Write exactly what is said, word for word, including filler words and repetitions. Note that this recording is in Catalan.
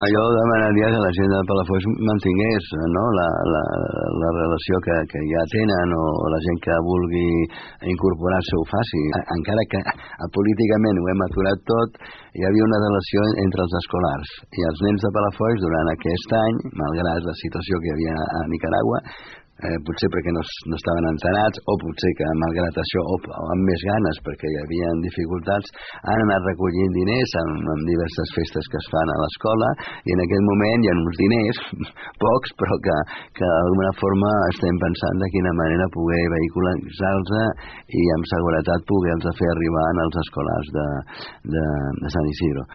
Jo demanaria que la gent de Palafolls mantingués, no?, la, la, la relació que, que ja tenen, o la gent que vulgui incorporar-se ho faci. Encara que políticament ho hem aturat tot, hi havia una relació entre els escolars i els nens de Palafolls durant aquest any, malgrat la situació que hi havia a Nicaragua, eh, potser perquè no, no estaven enterats, o potser que malgrat això, o, o amb més ganes perquè hi havia dificultats, han anat recollint diners amb, amb diverses festes que es fan a l'escola, i en aquest moment hi ha uns diners, pocs, però que, que d'alguna forma estem pensant de quina manera poder vehicular-los i amb seguretat poder-los fer arribar als escolars de, de, de Sant Isidro.